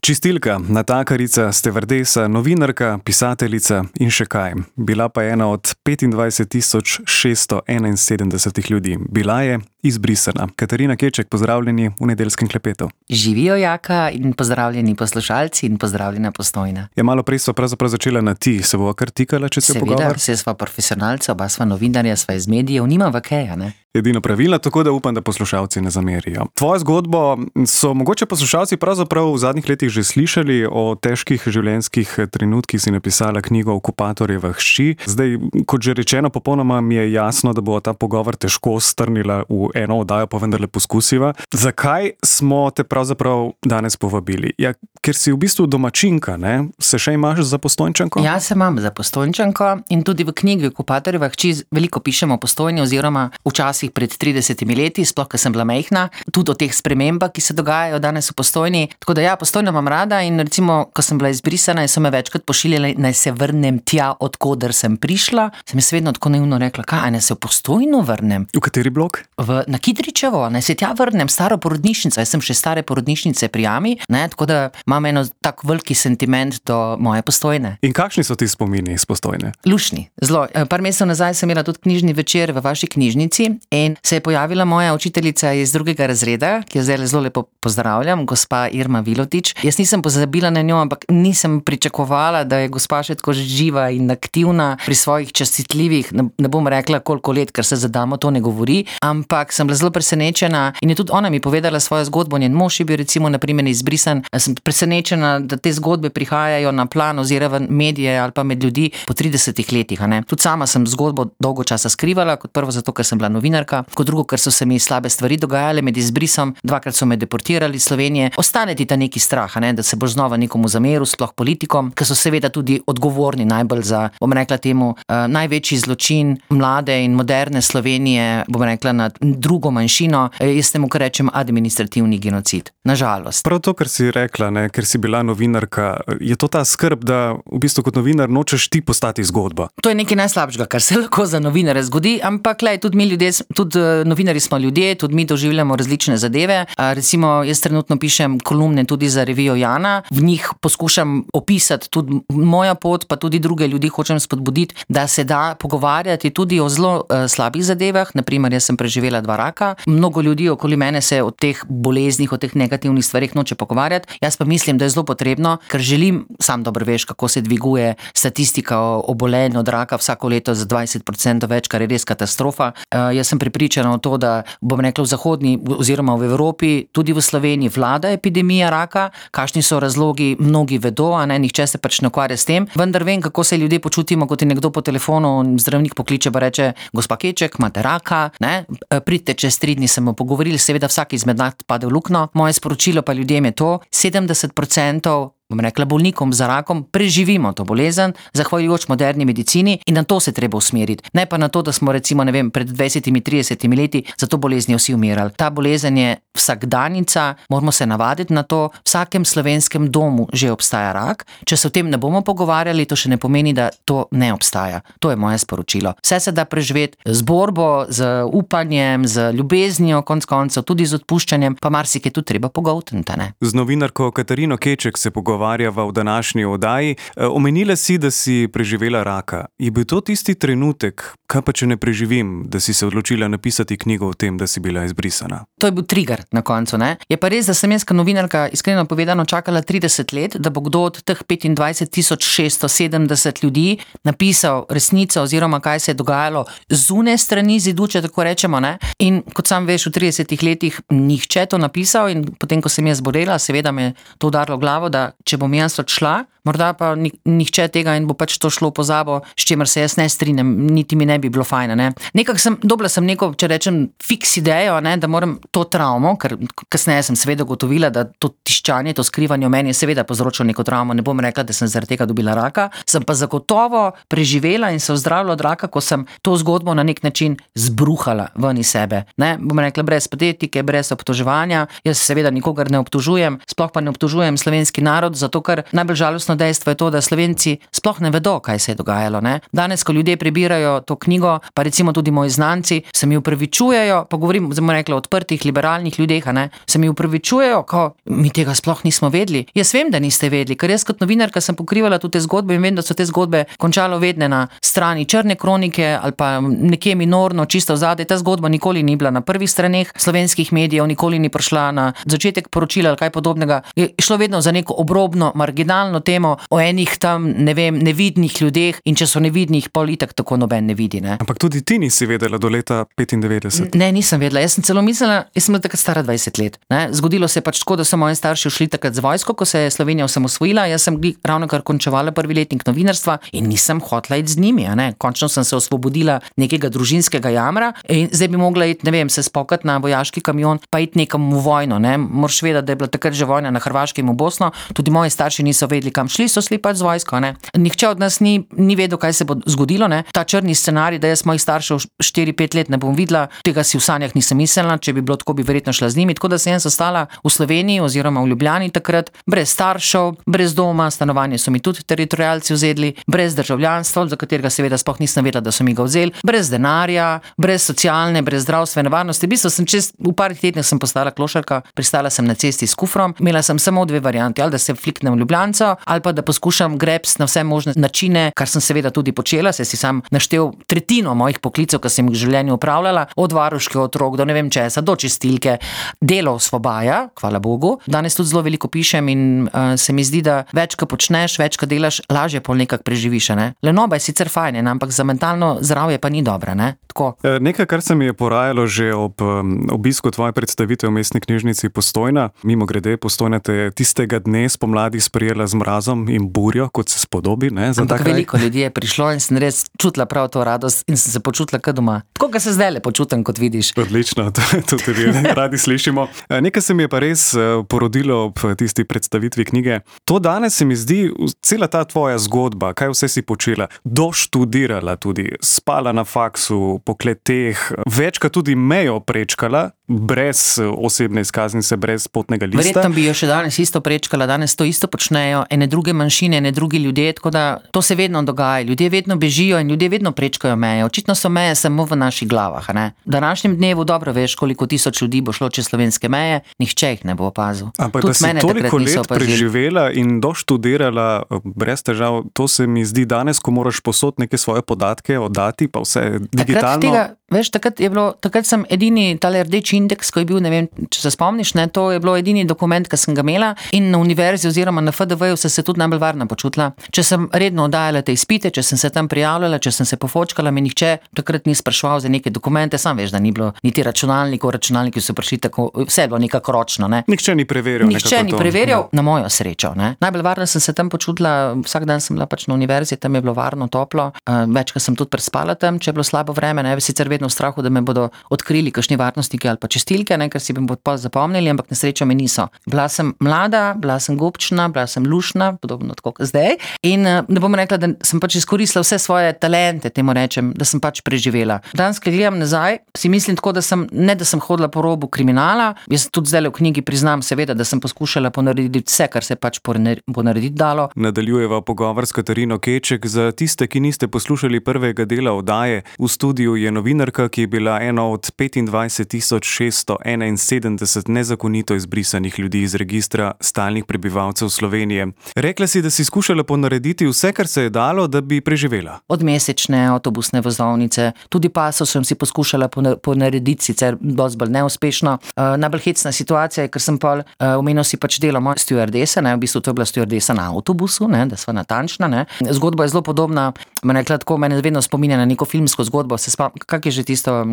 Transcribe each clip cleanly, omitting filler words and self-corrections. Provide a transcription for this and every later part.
Čistilka, natakarica, stevardesa, novinarka, pisateljica in še kaj. Bila pa je ena od 25.671 ljudi. Bila je izbrisana. Katarina Keček, pozdravljeni v Nedeljskem klepetu. Živijo, Jaka, in pozdravljeni poslušalci in pozdravljena Postojna. Ja, malo prej sva pravzaprav začela na ti. Se bova kar tikala, če se pogovor? Seveda, vse sva profesionalca, oba sva novinarja, sva iz medijev, nima vakeja, ne? Edino pravilno, tako da upam, da poslušalci ne zamerijo. Tvojo zgodbo so mogoče poslušalci pravzaprav v zadnjih letih že slišali. O težkih življenjskih trenutkih si napisala knjigo Okupatorjeva hči. Zdaj, kot že rečeno, popolnoma mi je jasno, da bo ta pogovor težko strnila v eno oddajo, pa vendarle poskusiva. Zakaj smo te pravzaprav danes povabili? Ja, ker si v bistvu domačinka, ne? Se še imaš za Postojnčanko? Ja, se imam za Postojnčanko in tudi v knjigi Okupatorjeva hči veliko pišemo o Postojni oziroma včasih pred 30 leti, sploh, ko sem bila majhna, tudi o teh spremembah, ki se dogajajo danes v Postojni. Tako da ja, Postojno imam rada in recimo, ko sem bila izbrisana in so me večkrat pošiljali, naj se vrnem tja, odkoder sem prišla, sem jaz vedno tako naivno rekla, kaj, naj se v Postojno vrnem? V kateri blok? Na Kidričevo, naj se tja vrnem, staro porodnišnico, jaz sem še stare porodnišnice pri Jami, ne, tako da imam eno tak veliki sentiment do moje Postojne. In kakšni so ti spomini iz Postojne? Lušni, zelo. Par mesecev nazaj sem imela tudi knjižni večer v vaši knjižnici in se je pojavila moja učiteljica iz 2. razreda, ki jo zdaj zelo lepo pozdravljam, gospa Irma Vilotič. Jaz nisem pozabila na njo, ampak nisem pričakovala, da je gospa še tako živa in aktivna pri svojih častitljivih, ne bom rekla koliko let, ker se za damo to ne govori, ampak sem bila zelo presenečena in je tudi ona mi povedala svojo zgodbo, njen mož je bil recimo na primer izbrisan. Sem presenečena, da te zgodbe prihajajo na plan oziroma medije ali pa med ljudi po 30 letih, a ne. Tudi sama sem zgodbo dolgo časa skrivala, kot prvo zato, ker sem bila novinarka, kot drugo, ker so se mi slabe stvari dogajale med izbrisom, 2-krat so me deportirali iz Slovenije. Ostane ti ta neki strah, ne, da se boš znova nekomu zameril, sploh politikom, ki so seveda tudi odgovorni najbolj za, bom rekla temu, največji zločin mlade in moderne Slovenije, bom rekla, nad drugo manjšino, jaz temu kar rečem administrativni genocid. Nažalost. Prav to, kar si rekla, ne, ker si bila novinarka, je to ta skrb, da v bistvu kot novinar nočeš ti postati zgodba. To je nekaj najslabšega, kar se lahko za novinare zgodi, ampak lej, tudi mi ljudje, tudi novinarji smo ljudje, tudi mi doživljamo različne zadeve. Recimo, jaz trenutno pišem kolumne tudi za revijo Jana, v njih poskušam opisati tudi moja pot, pa tudi druge ljudi hočem spodbuditi, da se da pogovarjati tudi o zelo slabih zadevah. Naprimer, jaz sem preživela 2 raka, mnogo ljudi okoli mene se o teh boleznih, o teh negativnih stvarih noče pogovarjati. Jaz pa mislim, da je zelo potrebno, ker želim, sam dobro veš, kako se dviguje statistika o obolenju od raka vsako leto za 20% več, kar je res katastrofa. Jaz sem prepričana v to, da bom rekla v zahodni oziroma v Evropi, tudi v Sloveniji vlada epidemija raka, kakšni so razlogi, mnogi vedo, a ne, nihče se pač ne ukvarja s tem, vendar vem, kako se ljudje počutimo, kot je nekdo po telefonu, zdravnik pokliče pa reče, gospa Keček, imate raka, ne, pridite čez 3 dni, se bomo pogovorili, seveda vsak izmed nas pade v luknjo. Moje sporočilo pa ljudem je to, 70%, bom rekla, bolnikom za rakom preživimo to bolezen, zahvaljujoč moderni medicini in na to se treba usmeriti. Ne pa na to, da smo recimo, ne vem, pred 20-30 leti za to bolezni vsi umirali. Ta bolezen je vsakdanica, moramo se navaditi na to, v vsakem slovenskem domu že obstaja rak. Če se o tem ne bomo pogovarjali, to še ne pomeni, da to ne obstaja. To je moje sporočilo. Vse se da preživeti z borbo, z upanjem, z ljubeznijo, konec koncev, tudi z odpuščanjem, pa marsikaj tudi treba pogoltniti, ne. Z novinarko Katarino Keček se pogovarjava v današnji oddaji. Omenila si, da si preživela raka. Je bil to tisti trenutek, kaj pa če ne preživim, da si se odločila napisati knjigo o tem, da si bila izbrisana? To je bil trigger na koncu, ne. Je pa res, da sem jaz kot novinarka iskreno povedano čakala 30 let, da bo kdo od teh 25.670 ljudi napisal resnico oziroma kaj se je dogajalo zunaj strani zidu, če tako rečemo, ne. In kot sam veš, v 30 letih nihče to napisal in potem, ko sem jaz zbolela, seveda me je to udarilo v glavo, da če bom jaz odšla, morda pa nihče tega in bo pač to šlo v pozabo, s čimer se jaz ne strinjam, niti mi ne bi bilo fajn, ne. Nekako dobila sem neko, če rečem, fiks idejo, ne, da moram to travmo, ker kasneje sem seveda ugotovila, da to tiščanje, to skrivanje v meni je seveda povzročilo neko travmo, ne bom rekla, da sem zaradi tega dobila raka, sem pa zagotovo preživela in se ozdravila od raka, ko sem to zgodbo na nek način zbruhala ven iz sebe, ne, bom rekla, brez patetike, brez obtoževanja. Jaz seveda nikogar ne obtožujem, sploh pa ne obtožujem slovenski narod, zato ker najbolj žalostno žalostno dejstvo je to, da Slovenci sploh ne vedo, kaj se je dogajalo. Ne? Danes, ko ljudje prebirajo to knjigo, pa recimo tudi moji znanci, se mi upravičujejo, pa govorim, zdaj bomo rekli o odprtih, liberalnih ljudeh, se mi upravičujejo, ko mi tega sploh nismo vedeli. Jaz vem, da niste vedeli, ker jaz kot novinarka sem pokrivala tudi te zgodbe in vem, da so te zgodbe končalo vedne na strani črne kronike ali pa nekje minorno, čisto vzadej. Ta zgodba nikoli ni bila na prvih straneh slovenskih medijev, nikoli ni prišla na začetek poročila ali kaj podobnega. Je šlo vedno za neko obrobno, marginalno temo o enih tam, ne vem, nevidnih ljudeh in če so nevidnih, pol itak tako noben ne vidi. Ne? Ampak tudi ti nisi vedela do leta 95? Ne, nisem vedela. Jaz sem celo mislila, jaz sem bila takrat stara 20 let. Ne? Zgodilo se je pač tako, da so moji starši šli takrat z vojsko, ko se je Slovenija osamosvojila. Jaz sem ravno kar končevala prvi letnik novinarstva in nisem hotela iti z njimi. Končno sem se osvobodila nekega družinskega jamra in zdaj bi mogla iti, ne vem, se spokati na vojaški kamion, pa iti nekam v vojno. Ne? Moraš vedeti, da je bila takrat že vojna na Hrvaškem v Bosno. Tudi moji starši niso vedeli, kam šli, so šli pač z vojsko. Ne? Nihče od nas ni vedel, kaj se bo zgodilo. Ne? Ta črni scenarij, da jaz mojih staršev 4-5 let ne bom videla, tega si v sanjah nisem mislila, če bi bilo tako, bi verjetno šla z njimi. Tako da sem ostala v Sloveniji oziroma v Ljubljani takrat, brez staršev, brez doma, stanovanje so mi tudi teritorialci vzeli, brez državljanstva, za katerega seveda sploh nisem vedela, da so mi ga vzeli, brez denarja, brez socialne, brez zdravstvene varnosti. V bistvu sem v parih tednih sem postala klošarka, pristala sem na cesti s kufrom, imela sem samo dve varianti, ali da se fliknem v Ljubljanco, ali pa da poskušam greps na vse možne načine, kar sem seveda tudi počela, se si sam naštel tretjino mojih poklicev, ki sem jih v življenju opravljala, od varuške otrok do ne vem česa, do čistilke. Delo osvobaja, hvala Bogu. Danes tudi zelo veliko pišem in se mi zdi, da več, ko počneš, več, ko delaš, lažje pol nekako preživiš. Ne? Lenoba je sicer fajn, ampak za mentalno zdravje pa ni dobra. Ne? Nekaj, kar se mi je porajalo že ob obisku tvoje predstavitve v mestni knjižnici Postojna. Mimogrede, Postojna te tistega dne spomladi sprejela z mrazom in burjo, kot se spodobi. Ampak veliko ljudi je prišlo in sem res čutila prav to radost in sem se počutila kot doma. Tako, kot se zdaj le počutim, kot vidiš. Odlično, to tudi radi slišimo. Nekaj se mi je pa res porodilo ob tisti predstavitvi knjige. To danes se mi zdi, cela ta tvoja zgodba, kaj vse si počela, doštudirala tudi, spala na faksu, po kleteh, večkrat tudi mejo prečkala, brez osebne izkaznice, brez potnega lista. Verjetno bi jo še danes isto prečkala, danes to isto počnejo ene druge manjšine, ene drugi ljudje, tako da to se vedno dogaja. Ljudje vedno bežijo in ljudje vedno prečkajo meje. Očitno so meje samo v naših glavah. Ne? V današnjem dnevu dobro veš, koliko tisoč ljudi bo šlo čez slovenske meje, nihče jih ne bo opazil. Ampak tudi da si toliko let preživela in doštudirala brez težav, to se mi zdi danes, ko moraš posod neke svoje podatke oddati, pa vse digitalno. Takrat sem edini tale rdeči indeks, ko je bil, ne vem, če se spomniš, ne, to je bilo edini dokument, ki sem ga imela in na univerzi oziroma na FDV-ju sem se tudi najbolj varno počutila. Če sem redno oddajala te izpite, če sem se tam prijavljala, če sem se pofočkala, me nihče takrat ni spraševal za neke dokumente, sam veš, da ni bilo niti računalniki so prišli tako, vse je bilo nekako ročno. Ne. Nihče ni preverjal. Na mojo srečo. Ne. Najbolj varno sem se tam počutila, vsak dan sem bila pač na univerzi, tam je bilo varno, toplo, večkrat sem tudi prespala tam, če je bilo slabo vreme, ne, sicer vedno v strahu, da me bodo odkrili kakšni varnostniki ali pa čistilke, ne, ker si bi me pol zapomnili, ampak na srečo me niso. Bila sem mlada, bila sem gobčna, bila sem lušna, podobno tako kot zdaj. In ne bom rekla, da sem pač izkoristila vse svoje talente, temu rečem, da sem pač preživela. Danes, ko gledam nazaj, si mislim tako, da sem hodila po robu kriminala. Jaz tudi zdaj v knjigi priznam seveda, da sem poskušala ponarediti vse, kar se pač ponarediti dalo. Nadaljujeva pogovor s Katarino Keček. Za tiste, ki niste poslušali prvega dela oddaje, v studiu je novinarka, ki je bila ena od 25.671 nezakonito izbrisanih ljudi iz registra stalnih prebivalcev Slovenije. Rekla si, da si skušala ponarediti vse, kar se je dalo, da bi preživela. Od mesečne avtobusne vozovnice, tudi paso sem si poskušala ponarediti, sicer dosti bolj neuspešno. Najbolj hecna situacija je, ker sem omenil si pač delo moje stewardese, v bistvu to je bila stewardesa na avtobusu, ne, da sva natančna. Ne. Zgodba je zelo podobna, mene vedno spominja na neko filmsko zgodbo, kak je že tisto,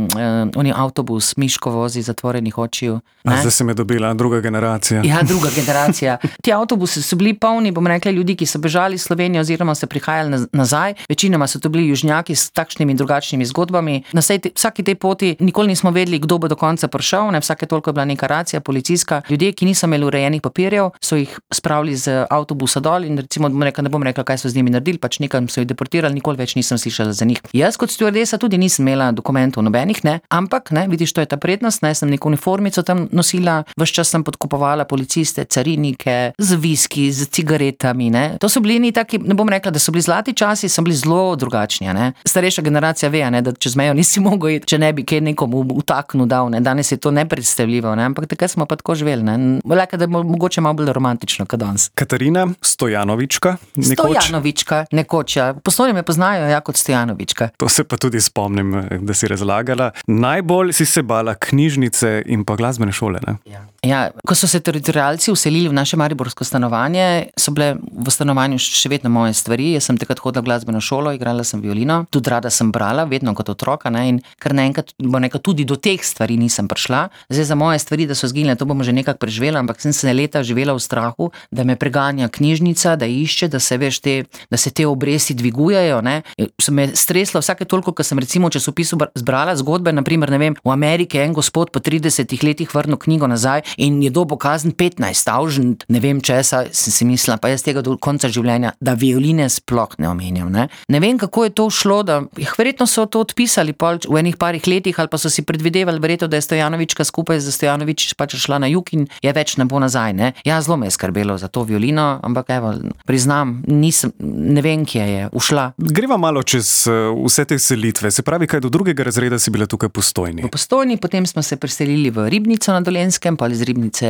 oni avtobus, Miško vozi zatvorenih očiju. Zdaj se me dobila druga generacija. Ja, druga generacija. Ti avtobusi so bili polni, ljudi, ki so bežali iz Slovenije oziroma so prihajali nazaj. Večinoma so to bili južnjaki s takšnimi in drugačnimi zgodbami. Na vsaki tej poti nikoli nismo vedeli, kdo bo do konca prišel, vsake toliko je bila neka racija, policijska. Ljudje, ki niso imeli urejenih papirjev, so jih spravili z avtobusa dol in recimo, ne bom rekla, kaj so z njimi naredili, pač nekam so jih deportirali, nikoli več nisem slišala za njih. Jaz kot stewardesa tudi nisem imela dokumentov dokumentov nobenih, ne, ampak, ne, vidiš, to je ta prednost, ne, sem neko uniformico tam nosila, ves čas sem podkupovala policiste, carinike, z viski, z cigaretami, ne. To so bili taki, ne bom rekla, da so bili zlati časi, so bili zelo drugačni, ne. Starejša generacija ve, ne, da čez mejo nisi mogel iti, če ne bi kaj nekomu vtaknil dal, ne. Danes je to nepredstavljivo, ne, ampak takrat smo pa tako živeli, ne. Leka, da je mogoče malo bolj romantično kot danes. Katarina Stojanovička, nekoč. Stojanovička, nekoč, ja. V Postojni me poznajo, ja, kot Stojanovička. To se pa tudi spomnim, da si razlagala. Najbolj si se bala knjižnice in pa glasbene šole, ne? Ja, ko so se teritorialci vselili v naše mariborsko stanovanje, so bile v stanovanju še vedno moje stvari. Jaz sem takrat hodila v glasbeno šolo, igrala sem violino, tudi rada sem brala, vedno kot otroka, ne, in kar naenkrat, tudi do teh stvari nisem prišla. Zdaj za moje stvari, da so zginile, to bomo že nekako preživela, ampak sem se leta živela v strahu, da me preganja knjižnica, da išče, da se veš da se te obresti dvigujejo, ne. Sem me stresla vsake toliko, ko sem recimo v časopisu zbrala zgodbe, naprimer, ne vem, v Ameriki en gospod po 30 letih vrnil knjigo nazaj in je dobil kazen 15,000, ne vem česa, sem si mislila, pa jaz tega do konca življenja, da violine sploh ne omenjam, ne. Ne vem, kako je to šlo, da verjetno so to odpisali pol v enih parih letih, ali pa so si predvidevali verjetno, da je Stojanovička skupaj z Stojanovič pač šla na jug in je več ne bo nazaj, ne. Ja, zelo me je skrbelo za to violino, ampak evo, priznam, ne vem, kje je ušla. Greva malo čez vse te selitve, se pravi, kaj do 2. razreda si bila tukaj v Postojni? V Postojni, potem smo se preselili v Ribnico na Dolenjskem, pa iz Ribnice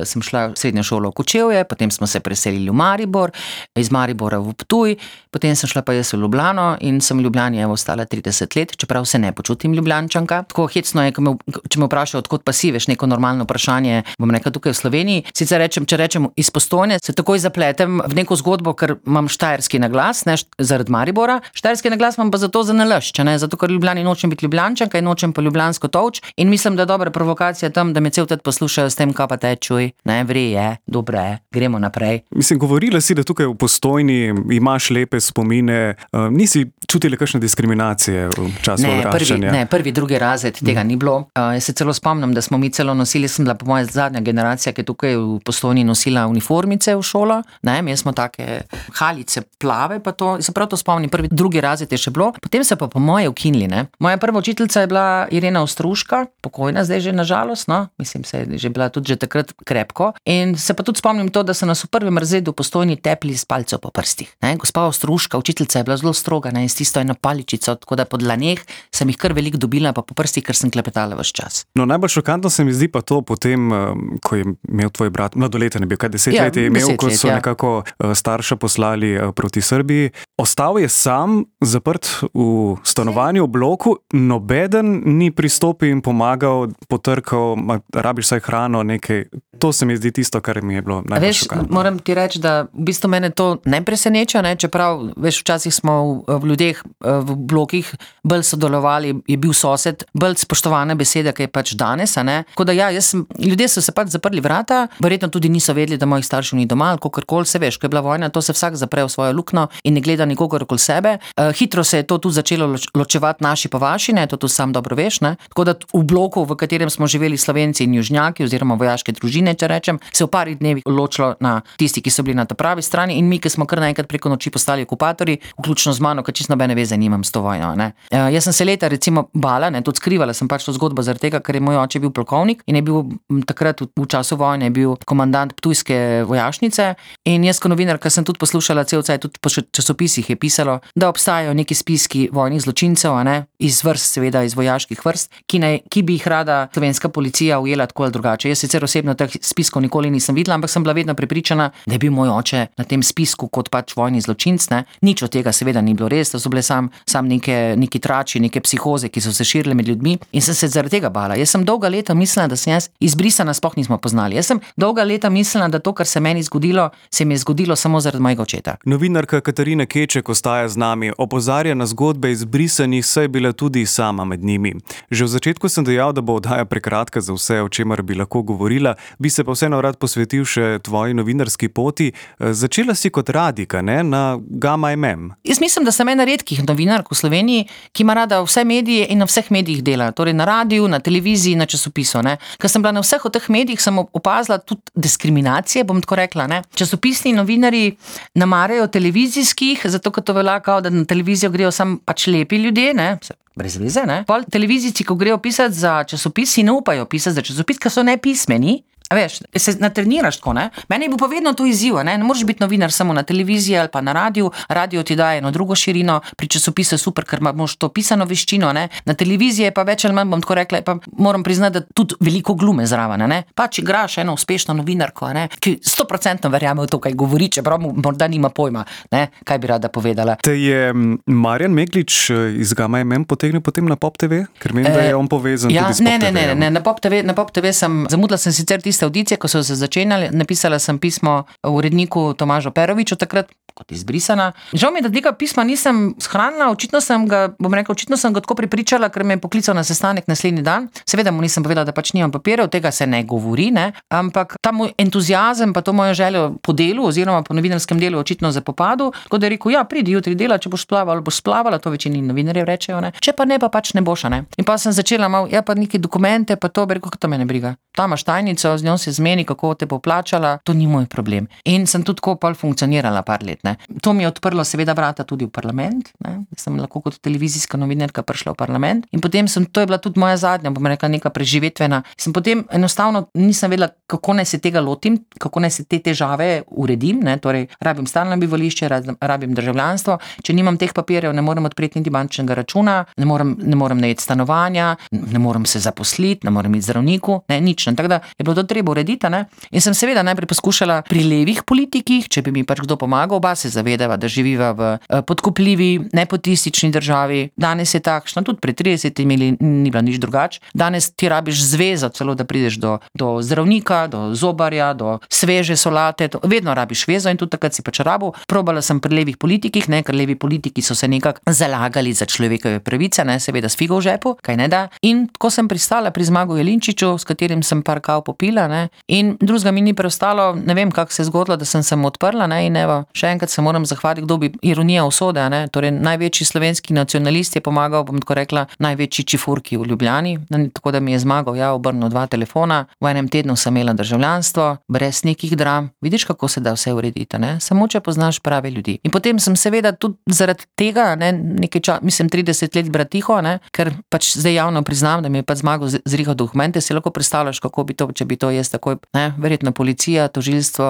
sem šla v srednjo šolo v Kočevje, potem smo se preselili v Maribor, iz Maribora v Ptuj, potem sem šla pa jaz v Ljubljano in sem v Ljubljani ostala 30 let, čeprav se ne počutim Ljubljančanka. Tako hecno je, če me vprašajo, odkot pa si, veš, neko normalno vprašanje, bom rekla tukaj v Sloveniji. Sicer če rečem iz Postojne, se takoj zapletem v neko zgodbo, ker imam štajerski naglas, ne, zaradi Maribora. Štajerski naglas imam pa zato za nalašč, ne, zato ker v Ljubljani nočem biti Ljubljančanka in nočem pa ljubljansko tolč in mislim, da je dobra provokacija tam, da me cel tet poslušajo s tem, kaj pa tečuj, ne, vre je, dobre je, gremo naprej. Mislim, govorila si, da tukaj v Postojni imaš lepe spomine, nisi čutila kakšne diskriminacije v času odraščanja? Ne, prvi, drugi razred tega ni bilo. Jaz se celo spomnim, da smo mi celo nosili, sem bila po moja zadnja generacija, ki je tukaj v Postojni nosila uniformice v šolo, ne, mi smo take halice plave, pa to, se prav to spomnim, prvi, drugi razred je še bilo, potem se pa po moje ukinili, ne. Moja prva učiteljica je bila Irena Ostruška, pokojna zdaj že na žalost, no, mislim, se je že bila tudi že takrat krepko in se pa tudi spomnim to, da so nas v prvem razredu v Postojni tepli s palcev po prstih, ne. Gospa Ostruška, učiteljica, je bila zelo stroga, ne, in s tisto eno paličico, tako da po dlaneh sem jih kar veliko dobila, pa po prstih, ker sem klepetala ves čas. No, najbolj šokantno se mi zdi pa to potem, ko je imel tvoj brat, mladoleten je bil, kaj 10 let je imel, ko so nekako starša poslali proti Srbiji. Ostal je sam, zaprt v stanovanju, v bloku, nobeden ni pristopil in pomagal, potrkal, rabiš saj hrano, nekaj. To se mi zdi tisto, kar mi je bilo najbolj šokantno. Veš, moram ti reči, da v bistvu mene to ne preseneča, ne, čeprav, veš, včasih smo v ljudeh v blokih bolj sodelovali, je bil sosed, bolj spoštovana beseda, ki je pač danes, a ne. Tako da ja, ljudje so se pač zaprli vrata, verjetno tudi niso vedeli, da mojih staršev ni doma, ali kakorkoli, se veš, ko je bila vojna, to se vsak zapre v svojo luknjo in ne gleda nikogar okoli sebe. Hitro se je to tudi začelo ločevati naši pa vaši, ne, to tudi sam dobro veš, ne. Tako da v bloku, v katerem smo živeli Slovenci in južnjaki oziroma vojaške družine, če rečem, se v parih dnevih ločilo na tisti, ki so bili na ta pravi strani in mi, ki smo kar naenkrat preko noči postali okupatorji, vključno z mano, ker čisto nobene veze nimam s to vojno, ne. Jaz sem se leta recimo bala, ne, tudi skrivala sem pač to zgodbo zaradi tega, ker je moj oče bil polkovnik in je bil takrat v času vojne je bil komandant ptujske vojašnice in jaz kot novinarka sem tudi poslušala cel cajt, tudi po časopisih je pisalo, da obstajajo neki spiski vojnih zločincev, a ne, iz vrst, seveda iz vojaških vrst, ki bi jih rada slovenska policija ujela tako ali drugače. Jaz sicer osebno teh spiskov nikoli nisem videla, ampak sem bila vedno prepričana, da je bil moj oče na tem spisku kot pač vojni zločinc, ne. Nič od tega seveda ni bilo res, to so bile sam neki trači, neke psihoze, ki so se širile med ljudmi in sem se zaradi tega bala. Jaz sem dolga leta mislila, da sem jaz izbrisana, sploh nismo poznali. Jaz sem dolga leta mislila, da to, kar se meni zgodilo, se mi je zgodilo samo zaradi mojega očeta. Novinarka Katarina Keček ostaja z nami, opozarja na zgodbe izbrisanih, saj je bila tudi sama med njimi. Že v začetku sem dejal, da bo oddaja prekratka za vse, o čemer bi lahko govorila, bi se pa vseeno rad posvetil še tvoji novinarski poti. Začela si kot radijka, ne, na Gamma MM. Jaz mislim, da sem ena redkih novinark v Sloveniji, ki ima rada vse medije in na vseh medijih dela, torej na radiju, na televiziji, na časopisu, ne. Ker sem bila na vseh od teh medijih, sem opazila tudi diskriminacije, bom tako rekla, ne. Časopisni novinarji namarajo televizijskih, zato ker to velja kao, da na televizijo grejo samo pač lepi ljudje, ne. brez veze, ne. Pol televizijci, ko grejo pisati za časopis, si ne upajo pisati za časopis, ker so nepismeni. A veš, se natreniraš tako, ne? Meni je bil pa vedno to izziv, ne moreš biti novinar samo na televiziji ali pa na radiju. Radio ti daje eno drugo širino, pri časopisu je super, ker imaš to pisano veščino, ne? Na televiziji je pa več ali manj, bom tako rekla, pa moram priznati, da tudi veliko glume zraven, ne? Pač igraš eno uspešno novinarko, ne? Ki 100% verjame v to, kaj govori, čeprav morda nima pojma, ne? Kaj bi rada povedala. Te je Marjan Meglič iz Gama MM potegnil potem na Pop TV? Ker menim, da je on povezan tudi s Pop TV. Ne, na Pop TV zamudila sem sicer audicije, ko so se začenjali, napisala sem pismo uredniku Tomažu Peroviču takrat kot izbrisana. Žal mi je, da tega pisma nisem shranila, očitno sem ga tako prepričala, ker me je poklical na sestanek naslednji dan. Seveda mu nisem povedala, da pač nimam papirjev, tega se ne govori, ne, ampak ta moj entuziazem pa to mojo željo po delu oziroma po novinarskem delu očitno zapopadu, tako da je rekel, ja, pridi jutri dela, če boš splavala, to večini novinarjev rečejo, ne. Če pa ne, pa pač ne boš, ne. In pa sem začela malo, ja, pa neki dokumente, pa to, bi rekel, to me ne briga. Ta imaš tajnico, z njo se zmeni, kako te bo plačala, to ni moj problem. In sem tudi tako pol funkcionirala par let, ne. To mi je odprlo seveda vrata tudi v parlament, ne. Sem lahko kot televizijska novinarka prišla v parlament in potem to je bila tudi moja zadnja, bom rekla, neka preživetvena. Sem potem enostavno nisem vedela, kako naj se tega lotim, kako naj se te težave uredim, ne. Torej, rabim stalno bivališče, rabim državljanstvo, če nimam teh papirjev, ne morem odpreti niti bančnega računa, ne morem najeti stanovanja, ne morem se zaposliti, ne morem iti zdravniku, ne, nič. Tako da je bilo to treba urediti, ne. In sem seveda najprej poskušala pri levih politikih, če bi mi pač kdo pomagal, oba se zavedava, da živiva v podkupljivi, nepotistični državi. Danes je takšna, tudi pred 30 ni bila nič drugače. Danes ti rabiš zvezo celo, da prideš do zdravnika, do zobarja, do sveže solate, vedno rabiš vezo in tudi takrat si pač rabil. Probala sem pri levih politikih, ne, ker levi politiki so se nekako zalagali za človekove pravice, ne, seveda s figo v žepu, kaj ne da. In tako sem pristala pri Zmagu Jelinčiču, s katerim sem par kav popila, ne, in drugega mi ni preostalo, ne vem, kako se je zgodilo, da sem se mu odprla, ne, in evo, še enkrat se moram zahvaliti, kdo bi, ironija usode, ne, torej največji slovenski nacionalist je pomagal, bom tako rekla, največji čifurki v Ljubljani, tako da mi je Zmagal, ja, obrnil 2 telefona, v enem tednu sem imela državljanstvo, brez nekih dram, vidiš, kako se da vse urediti, ne, samo če poznaš prave ljudi. In potem sem seveda tudi zaradi tega, ne, nekaj časa, mislim 30 let brati tiho, ne, ker pač zdaj javno priznam, da mi je pač Zmagal zrihal dokumente, si lahko predstavljaš, kako bi to, če bi to jaz takoj, ne, verjetno policija, tožilstvo,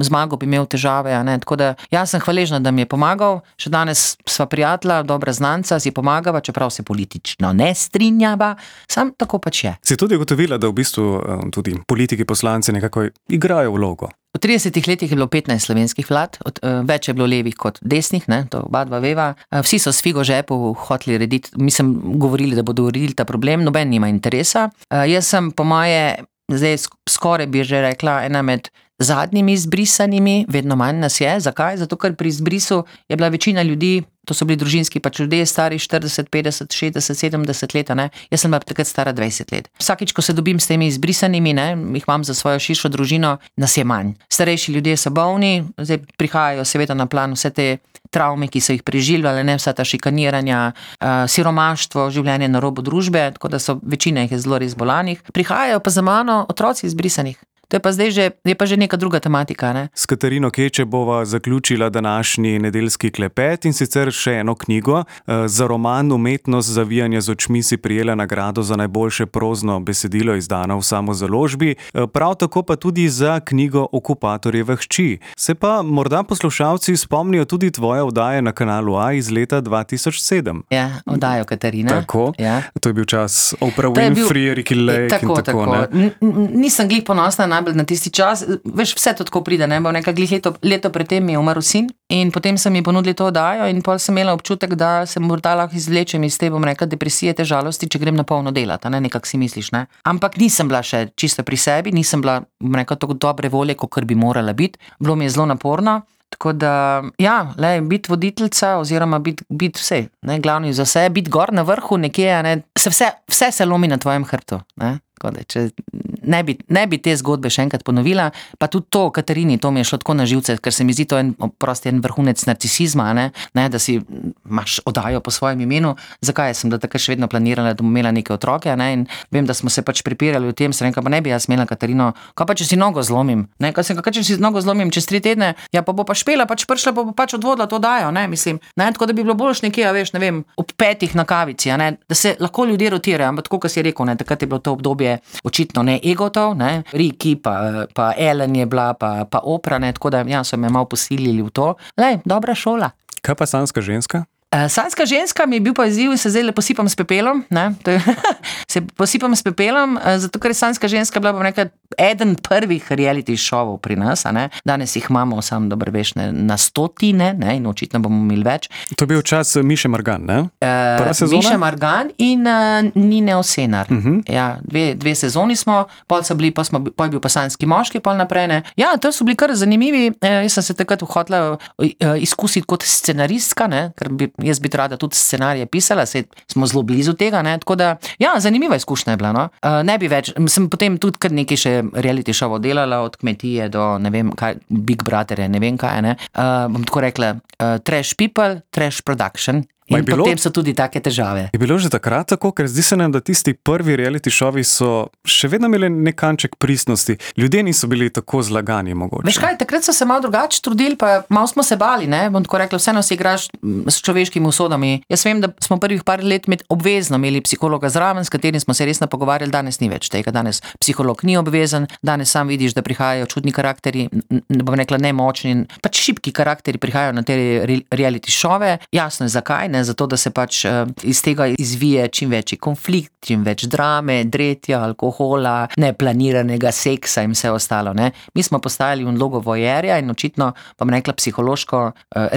Zmagal bi imel težave, ne, tako da jaz sem hvaležna, da mi je pomagal, še danes sva prijatelja, dobra znanca, si pomagava, čeprav se politično ne strinjava, sam tako pač je. Si tudi ugotovila, da v bistvu tudi politiki, poslanci nekako igrajo vlogo? V 30 letih je bilo 15 slovenskih vlad, več je bilo levih kot desnih, ne, to oba dva veva. Vsi so s figo žepu hoteli rediti, govorili, da bodo uredili ta problem, noben nima interesa. Jaz sem po moje, zdaj skoraj bi že rekla, ena med zadnjimi izbrisanimi, vedno manj nas je. Zakaj? Zato, ker pri izbrisu je bila večina ljudi, to so bili družinski pač ljudje, stari 40, 50, 60, 70 let, ne. Jaz sem bila takrat stara 20 let. Vsakič, ko se dobim s temi izbrisanimi, ne, jih imam za svojo širšo družino, nas je manj. Starejši ljudje so bolni, zdaj prihajajo seveda na plan vse te travme, ki so jih preživljali, ne, vsa ta šikaniranja, siromaštvo, življenje na robu družbe, tako da so večina jih je zelo res bolanih. Prihajajo pa za mano otroci izbrisanih. To je pa zdaj že neka druga tematika, ne. S Katarino Keče bova zaključila današnji nedeljski klepet in sicer še eno knjigo. Za roman Umetnost zavijanja z očmi si prijela nagrado za najboljše prozno besedilo, izdano v samozaložbi, prav tako pa tudi za knjigo Okupatorjeve hči. Se pa morda poslušalci spomnijo tudi tvoje oddaje na Kanalu A iz leta 2007. Ja, oddajo Katarina. Tako, ja. To je bil čas Oprah Winfrey, Ricki Lake in tako, ne. Nisem glih ponosna najbolj na tisti čas, veš, vse to tako pride, ne, bo nekaj glih leto predtem mi je umrl sin in potem so mi ponudili to oddajo in potem sem imela občutek, da se morda lahko izvlečem iz te, bom rekla, depresije, te žalosti, če grem na polno delati, ne, nekako si misliš, ne. Ampak nisem bila še čisto pri sebi, nisem bila, bom rekla, tako dobre volje, kakor bi morala biti, bilo mi je zelo naporno. Tako da, ja, biti voditeljica oziroma biti vse, ne, glavni za vse, biti gor na vrhu nekje, ne, vse se lomi na tvojem hrbtu, ne, tako da, če ne bi te zgodbe še enkrat ponovila, pa tudi to, Katarini, to mi je šlo tako na živce, ker se mi zdi to en vrhunec narcisizma, ne, da si imaš oddajo po svojem imenu. Zakaj sem da takrat še vedno planirala, da bom imela neke otroke, ne, in vem, da smo se pač pripirali v tem, sem rekla, pa ne bi jaz imela Katarino, kaj pa če si nogo zlomim, ne, kaj če si nogo zlomim čez 3 tedne, ja pa bo pa špela, pač prišla, pa bo pač odvodila to oddajo, ne, mislim, ne, tako da bi bilo boljš nekje, veš, ne vem, ob 5 na kavici, ne, da se lahko ljudje rotirajo, ampak tako, kot si rekel, ne, takrat je bilo to obdobje očitno ne Egotov, ne, Riki, pa Ellen je bila, pa Oprah, ne, tako da ja, so me malo posilili v to. Lej, dobra šola. Kaj pa Sanjska ženska? Sanjska ženska mi je bil pa izziv in se zdaj posipam s pepelom, ne, se posipam s pepelom, zato ker je Sanjska ženska bila, bom rekla, eden prvih reality šovov pri nas, ne, danes jih imamo, sam dobro veš, na 100, ne, in očitno bomo imeli več. To je bil čas Miše Margan, ne? Prva sezona? Miše Margan in Nine Osenar. Ja, dve sezoni smo, pol je bil pa Sanjski moški, pol naprej, ne. Ja, to so bili kar zanimivi, jaz sem se takrat hotela izkusiti kot scenaristka, ne, ker jaz bi rada tudi scenarije pisala, smo zelo blizu tega, ne, tako da, ja, zanimiva izkušnja je bila, no. Ne bi več, sem potem tudi kar nekaj še reality šovov delala, od Kmetije do, ne vem, kaj, Big Brother, ne vem kaj, ne. Bom tako rekla, trash people, trash production. In potem so tudi take težave. Je bilo že takrat tako, ker zdi se nam, da tisti prvi reality šovi so še vedno imeli nek kanček pristnosti. Ljudje niso bili tako zlagani mogoče. Veš kaj, takrat so se malo drugače trudili, pa malo smo se bali, ne, bom tako rekla, vseeno si igraš s človeškimi usodami. Jaz vem, da smo prvih par let obvezno imeli psihologa zraven, s katerim smo se resno pogovarjali, danes ni več tega, danes psiholog ni obvezen, danes sam vidiš, da prihajajo čudni karakteri, bom rekla nemočni, pač šibki karakteri prihajajo na te reality šove. Jasno je zakaj, ne, zato da se pač iz tega izvije čim večji konflikt, čim več drame, dretja, alkohola, neplaniranega seksa in vse ostalo, ne. Mi smo postajali v vlogo vojerja in očitno, pa bom rekla, psihološko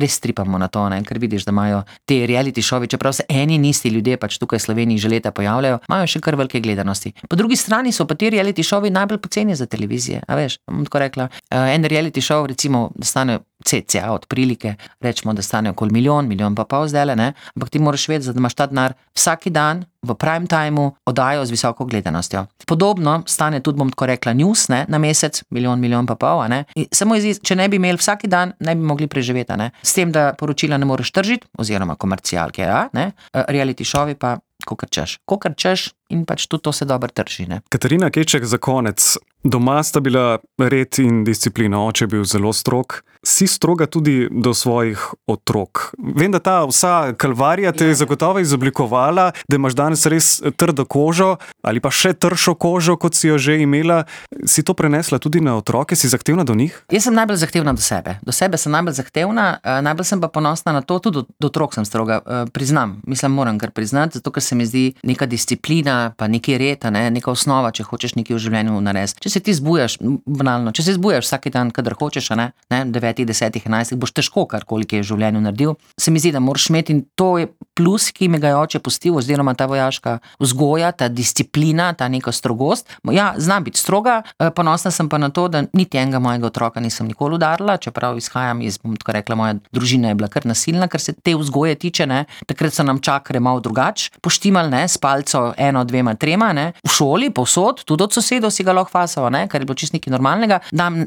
res tripamo na to, ne, ker vidiš, da imajo te reality šovi, čeprav se eni in isti ljudje pač tukaj v Sloveniji že leta pojavljajo, imajo še kar velike gledanosti. Po drugi strani so pa ti reality šovi najbolj poceni za televizije, a veš, bom tako rekla, en reality šov recimo stane cca od prilike, rečemo, da stane okoli milijon pa pol zdajle, ne, ampak ti moraš vedeti, da imaš ta denar vsaki dan v prime timeu oddajo z visoko gledanostjo. Podobno stane tudi, bom tako rekla, news, ne, na mesec, milijon pa pol, ne. Samo če ne bi imeli vsaki dan, ne bi mogli preživeti, ne. S tem, da poročila ne moreš tržiti, oziroma komercialke, ja, ne, reality šovi pa kokar češ in pač tudi to se dobro trži, ne. Katarina Keček, za konec. Doma sta bila red in disciplina, oče je bil zelo strog. Si stroga tudi do svojih otrok. Vem, da ta vsa kalvarija te je zagotovo izoblikovala, da imaš danes res trdo kožo ali pa še tršo kožo, kot si jo že imela. Si to prenesla tudi na otroke? Si zahtevna do njih? Jaz sem najbolj zahtevna do sebe. Do sebe sem najbolj zahtevna, najbolj sem pa ponosna na to, tudi do otrok sem stroga. Priznam, moram kar priznati, zato ker se mi zdi neka disciplina, pa neki red, ne, neka osnova, če hočeš nekaj v življenju narediti. Če se ti zbujaš, banalno, če se zbujaš vsak dan, kadar hočeš, ne, 9, 10, 11, boš težko karkoli je v življenju naredil. Se mi zdi, da moraš imeti, in to je plus, ki mi ga je oče pustil, oziroma ta vojaška vzgoja, ta disciplina, ta neka strogost. Ja, znam biti stroga, ponosna sem pa na to, da niti enega mojega otroka nisem nikoli udarila, čeprav izhajam iz, bom tako rekla, moja družina je bila kar nasilna, kar se te vzgoje tiče, ne. Takrat so nam čakre malo drugače poštimali, ne, s palco 1, 2, 3, ne. V šoli, povsod, tudi od sosedov si ga lahko fasal, ne, kar je bilo čisto nekaj normalnega.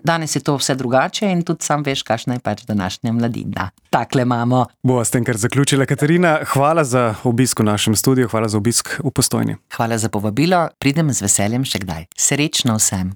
Danes je to vse drugače in tudi sam veš, kakšna je pač današnja mladina. Takle imamo. Bova s tem kar zaključila. Katarina, hvala za obisk v našem studiu, hvala za obisk v Postojni. Hvala za povabilo, pridem z veseljem še kdaj. Srečno vsem.